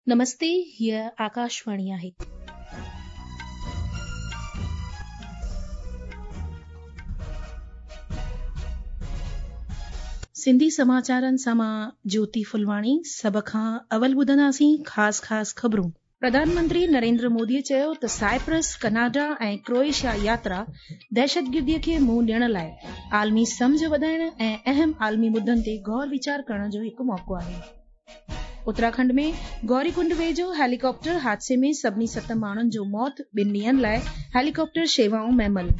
نمستي هيء آڪاشواڻي آهي. سنڌي سماچارن سان مان جوتي ڦلواڻي سڀ کان اول ٻڌنداسين خاص خاص خبرون. پرڌان منتري نريندر مودي چيو ته سائپرس، ڪئناڊا ۽ ڪروئيشيا ياترا دهشتگردي کي منهن ڏيڻ لاء عالمي سمجهه وڌائڻ ۽ اهم عالمي مدن تي غور ويچار ڪرڻ جو هڪ موقعو آهي. اتراکنڊ ۾ گوري ڪنڊ ويجهو هيليڪاپٽر حادثي ۾ سڀني ست ماڻهن جو موت، ٻن ڏينهن لاء هيليڪاپٽر شيوائون معمل.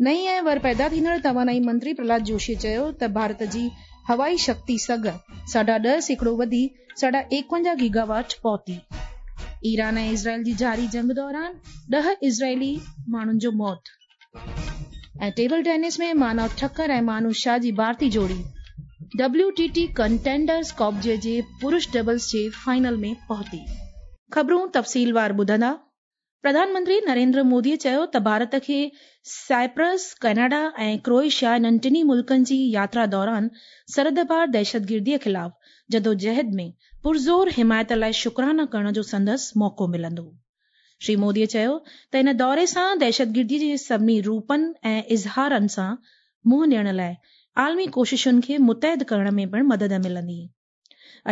نئين ۽ ور پيدا ٿيندڙ توانائي منتري پرهلاد جوشي چيو ته ڀارت جي هوائي شڪتي سگهه 10.5% وڌي 51.5 گيگا واٽ پهتي. ايران ۽ اسرائيل جي جاري جنگ دوران 10 اسرائيلي ماڻهن جو موت. ۽ ٽيبل ٽينس ۾ مانو ٺڪر ۽ مانو شاهه جي ڀارتي جوڙي ڊبليو ٽي ٽي ڪنٽينڊرز ڪپ جي پرش ڊبلز جي فائنل ۾ پهتي. خبرون تفصيلوار ٻڌندا. پرڌان منتري نريندر مودي چيو ته ڀارت کي سائپرس، ڪئناڊا ۽ ڪروئيشيا انهن ٽنهي ملڪن جي ياترا دوران سرحد پار دهشتگردي خلاف جدوجهد ۾ پرزور حمايت لاء شڪرانا ڪرڻ جو سندس موقعو ملندو. شري مودي چيو ته ان دوري سان دهشتگردي جي سڀني روپن ۽ اظهارن سان منهن ڏيڻ لاء عالمي ڪوششن کي متحد ڪرڻ ۾ پڻ مدد ملندي.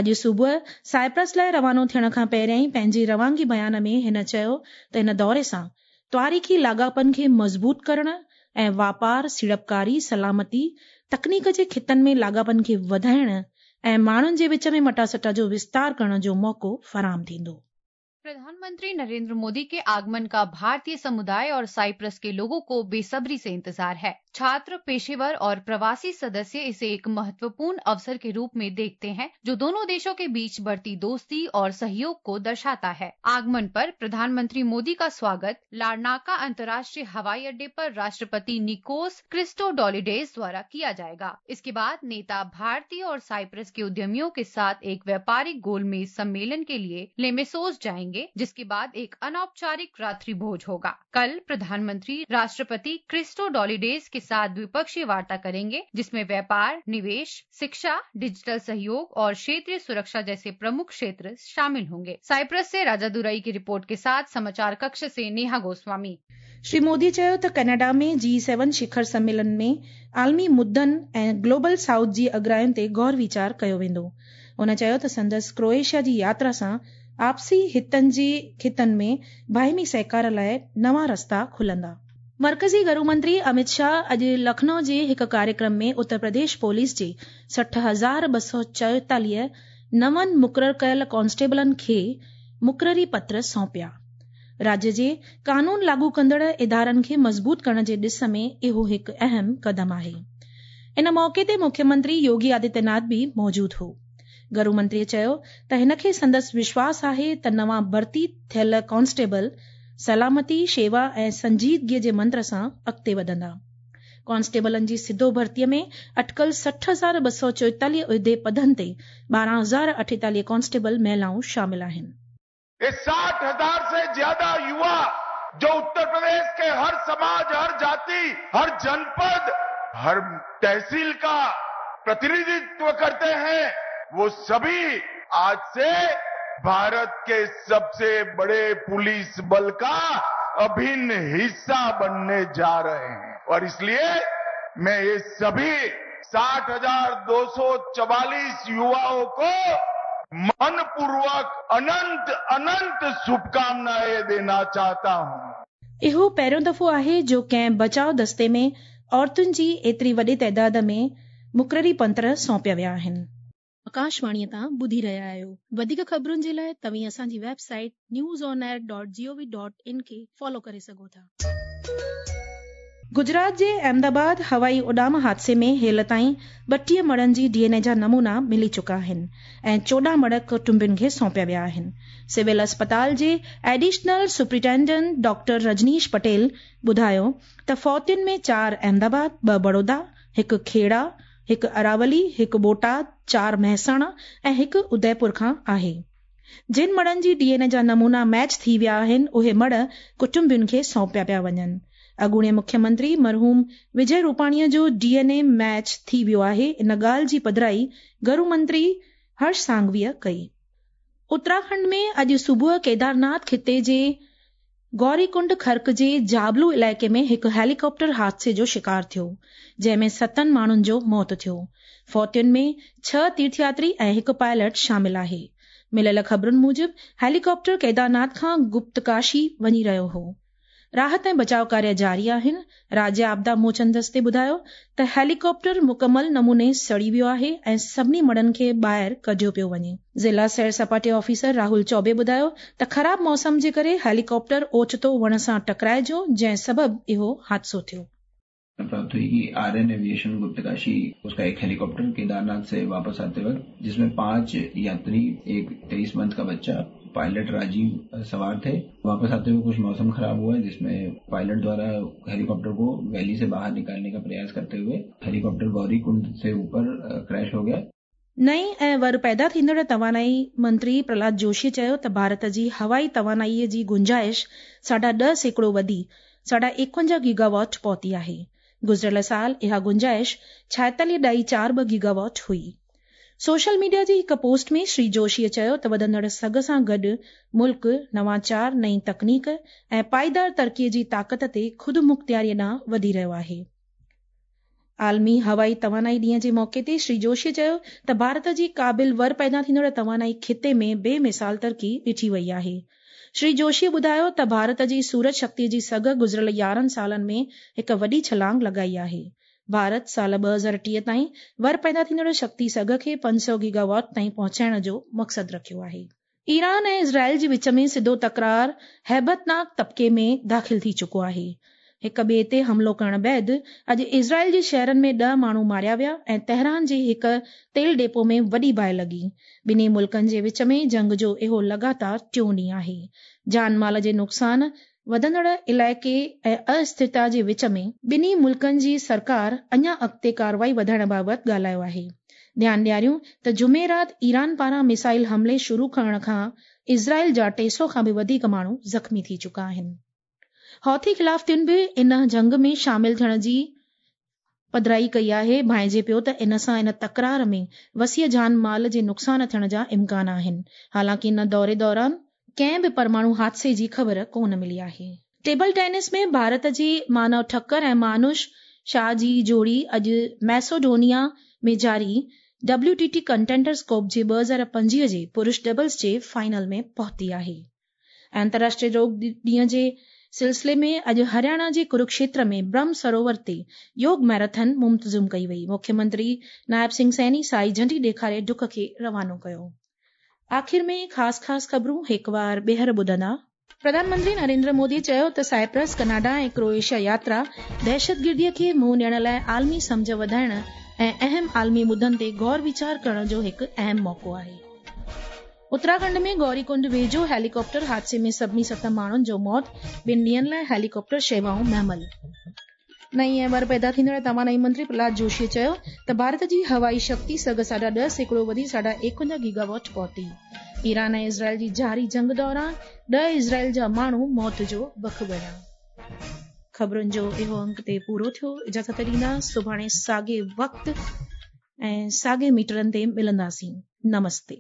اڄ صبح سائپرس لاء روانو ٿيڻ کان پهريائين پنهنجي روانگي بيان ۾ هن چيو ته ان دوري سان تواريخي لاڳاپن کي مضبوط ڪرڻ ۽ واپار، سيڙپڪاري، سلامتي، تڪنيڪ جي خطن ۾ لاڳاپن کي وڌائڻ ۽ ماڻهن جي وچ ۾ مٽاسٽا جو وستار ڪرڻ جو موقعو فراهم ٿيندو. प्रधानमंत्री नरेंद्र मोदी के आगमन का भारतीय समुदाय और साइप्रस के लोगों को बेसब्री से इंतजार है। छात्र, पेशेवर और प्रवासी सदस्य इसे एक महत्वपूर्ण अवसर के रूप में देखते हैं, जो दोनों देशों के बीच बढ़ती दोस्ती और सहयोग को दर्शाता है। आगमन पर प्रधानमंत्री मोदी का स्वागत लारनाका अंतर्राष्ट्रीय हवाई अड्डे पर राष्ट्रपति निकोस क्रिस्टोडौलिडेस द्वारा किया जाएगा। इसके बाद नेता भारतीय और साइप्रस के उद्यमियों के साथ एक व्यापारिक गोलमेज सम्मेलन के लिए लेमेसोस जाएंगे, जिसके बाद एक अनौपचारिक रात्रि भोज होगा। कल प्रधानमंत्री राष्ट्रपति क्रिस्टोडौलिडेस के साथ द्विपक्षीय वार्ता करेंगे, जिसमें व्यापार, निवेश, शिक्षा, डिजिटल सहयोग और क्षेत्रीय सुरक्षा जैसे प्रमुख क्षेत्र शामिल होंगे। साइप्रस से राजा दुरई की रिपोर्ट के साथ समाचार कक्ष से नेहा गोस्वामी। श्री मोदी चयो त ڪئناڊا ۾ جي سيون شکر سميلن ۾ عالمي مدن ۽ گلوبل سائوٿ جي اڳراين تي غور ويچار ڪيو ويندو. هن چيو ته سندس ڪروئيشيا جي ياترا سان آپسي هتن جي خطن ۾ باهمي سهڪار لاء نوان رستا کلندا. مرڪزي گهرو منتري امت شاهه اڄ لکنؤ جي هڪ ڪاريڪرم ۾ اتر پرديش پوليس جي 60,244 نون مقرر ڪيل ڪانسٽيبلن کي مقرري پتر سونپيا. راجيه جي قانون لاڳو ڪندڙ ادارن کي مضبوط ڪرڻ جي ڏس ۾ اهو هڪ اهم قدم آهي. ان موقعي تي مکيه منتري يوگي آدتيه ناٿ به موجود هو. گهرو منتري چيو ته هن کي سندس وشواس آهي ته نوان ڀرتي ٿيل ڪانسٽيبل سلامتي، شيوا ۽ سنجيدگي جي منتر سان اڳتي وڌندا. ڪانسٽيبلن جي سڌو ڀرتي ۾ اٽڪل 60,244 عهدي پدن تي 12,048 ڪانسٽيبل مهلائون شامل آهن. ये 60,000 से ज्यादा युवा जो उत्तर प्रदेश के हर समाज, हर जाति, हर जनपद, हर तहसील का प्रतिनिधित्व करते हैं, वो सभी आज से भारत के सबसे बड़े पुलिस बल का अभिन्न हिस्सा बनने जा रहे हैं और इसलिए मैं ये सभी 60,244 युवाओं को मनपूर्वक अनंत अनंत शुभकामनाएं देना चाहता हूं। इहो पहिरियों दफ़ो आहे जो कंहिं बचाव दस्ते में औरतुनि जी एतिरी वॾे तादाद में मुक़ररी पत्र सौंपिया विया आहिनि। आकाशवाणीअ तां ॿुधी रहिया आहियो। वधीक ख़बरुनि जे लाइ तव्हीं असांजी website news on air dot G O V dot in खे फॉलो करे सघो था। गुजरात جي احمدآباد هوائي اڏام حادثي ۾ هيل تائين 32 مڙهن جي ڊي اين اي جا نمونا ملي چڪا آهن ۽ 14 مڙهه ڪٽنبن کي سونپيا ويا آهن. سول اسپتال جي additional superintendent doctor Rajneesh Patel ٻڌايو ته فوتين ۾ چار احمدآباد، ٻه بڙودا، هڪ کيڙا، هڪ اراولي، هڪ بوٽاد، چار مهساڻا ۽ هڪ اديپور کان آهي. جن مڙهن جي ڊي اين اي جا نمونا ميچ ٿي ويا آهن، اهي مڙهه ڪٽنبن کي سونپيا پيا وڃن. اڳوڻي مکيه منتري مرحوم وجي روپاڻي جو ڊي اين اي ميچ ٿي ويو آهي، ان ڳالهه جي پڌرائي گهرو منتري هرش سانگهويء ڪئي. اتراکنڊ ۾ اڄ صبح ڪيدارناٿ خطي جي گوري ڪنڊ کرڪ جي جابلو علائقي ۾ هڪ هيليڪاپٽر حادثي جو شڪار ٿيو، جنهن ۾ ستن ماڻهن جو موت ٿيو. فوتين ۾ ڇهه تيرٿياتري ۽ هڪ پائلٽ شامل آهي. مليل خبرن موجب هيليڪاپٽر ڪيدارناٿ کان گپتڪاشي وڃي رهيو هو. راحت ۽ بچاء ڪاريه جاري آهن. راجيه آپدا موچن دستي ٻڌايو ته هيليڪاپٽر مڪمل نموني سڙي ويو آهي ۽ سڀني مڙهن کي ٻاهر ڪڍيو پيو وڃي. ضلع سير سپاٽي آفيسر راهول چوبي ٻڌايو ته خراب موسم جي ڪري هيليڪاپٽر اوچتو وڻ سان ٽڪرائجو جنهن سبب اهو حادثو ٿيو. प्राप्त हुई कि आर्यन एविएशन गुप्तकाशी उसका एक हेलीकॉप्टर केदारनाथ से वापस आते वक्त जिसमें 5 यात्री, एक 23 मंथ का बच्चा, पायलट राजीव सवार थे। वापस आते हुए कुछ मौसम खराब हुआ जिसमें पायलट द्वारा हेलीकॉप्टर को वैली से बाहर निकालने का प्रयास करते हुए हेलीकॉप्टर गौरी कुंड से ऊपर क्रैश हो गया। नئين ۽ ور پيدا ٿيندڙ توانائي منتري پرهلاد جوشي چيو ته ڀارت جي هوائي توانائي جي گنجائش 10.5% وڌي 51.5 گيگاواٽ پهتي آهي. گذريل سال اها گنجائش 46.42 گيگاواٽ هئي. سوشل ميڊيا جي هڪ پوسٽ ۾ شري جوشي چيو ته وڌندڙ سگهه سان گڏ ملڪ نواچار، نئين تڪنيڪ ۽ پائيدار ترقي جي طاقت تي خودمختياري ڏانهن وڌي رهيو آهي. عالمي هوائي توانائي ڏينهن جي موقعي تي شري جوشي چيو ته ڀارت جي قابل ور پيدا ٿيندڙ توانائي خطي ۾ بي مثال ترقي ڏٺي وئي آهي. شري جوشي ٻڌايو ته ڀارت جي سورج شڪتي جي سگهه گذريل 11 سالن ۾ هڪ وڏي ڇلانگ لڳائي آهي. ڀارت سال 2030 تائين ور پيدا ٿيندڙ شڪتي سگهه کي 500 گيگاواٽ تائين پهچائڻ جو مقصد رکيو آهي. ايران ۽ اسرائيل جي وچ ۾ سڌو تڪرار هيبتناڪ طبقي ۾ داخل ٿي چڪو آهي. هڪ ٻئي تي حملو ڪرڻ بعد اڄ اسرائيل جي شهرن ۾ 10 ماڻهو ماريا ويا ۽ تهران جي هڪ تيل ڊيپو ۾ وڏي باهه لڳي. ٻنهي ملڪن جي وچ ۾ جنگ جو اهو لڳاتار ٽيون ڏينهن آهي. جان مال جي نقصان، وڌندڙ علائقي ۽ اسٿرتا جي وچ ۾ ٻنهي ملڪن جي سرڪار اڃا اڳتي ڪارروائي وڌائڻ بابت ڳالهايو آهي. ڌيان ڏياريون ته جمعي رات ايران پاران ميسائل حملي شروع ڪرڻ کان اسرائيل جا 300 کان به وڌيڪ ماڻهو زخمي ٿي چڪا آهن. حوثي خلافتين به ان جنگ ۾ شامل ٿيڻ جي پڌرائي ڪئي آهي. ڀانئجي پيو ته ان سان ان تڪرار ۾ وسيع جان مال جي نقصان ٿيڻ جا امڪان آهن. حالانڪه ان دوري دوران ڪنهن به پرماڻو حادثي جي خبر ڪونه ملي آهي. ٽيبل ٽينس ۾ ڀارت جي مانو ٺڪر ۽ مانوش شاهه جي جوڙي اڄ ميسوڊونيا ۾ جاري W T T contenders cup جي 2025 جي پرش ڊبلز جي فائنل ۾ پهتي آهي. انترراشٽريه يوگ ڏينهن جي سلسلي ۾ اڄ هرياڻا جي ڪروڪشيتر ۾ برهم سروور تي يوگ ميراٿن منتظم ڪئي وئي. مکيه منتري نائب سنگهه سيني سائي جهنڊي ڏيکاري ڊڪ کي روانو ڪيو. آخر ۾ خاص خاص خبرون هڪوار ٻيهر ٻڌندا. پرڌان منتري نريندر مودي چيو ته سائپرس، ڪئناڊا ۽ ڪروئيشيا ياترا دهشتگردي کي منهن ڏيڻ لاء عالمي سمجهه وڌائڻ ۽ اهم عالمي مدن تي غور ويچار ڪرڻ جو هڪ اهم موقعو آهي. اتراکنڊ ۾ گوري ڪنڊ ويجهو هيليڪاپٽر حادثي ۾ سڀني ست ماڻهن جو موت، ٻن ڏينهن لاء هيليڪاپٽر شيوائون مهمل. نئين ۽ ور پيدا ٿيندڙ توانائي منتري پرهلاد جوشي چيو ته ڀارت جي هوائي شڪتي سگهه 10.5% وڌي 51.5 گيگاواٽ پهتي. ايران ۽ اسرائيل جي جاري جنگ دوران 10 اسرائيل جا ماڻهو موت جو بک بڻيا. خبرن جو اهو انڪ تي پورو ٿيو. اجازت ڏيندا سڀاڻي ساڳي وقت ۽ ساڳي ميٽرن تي ملنداسين. نمستي.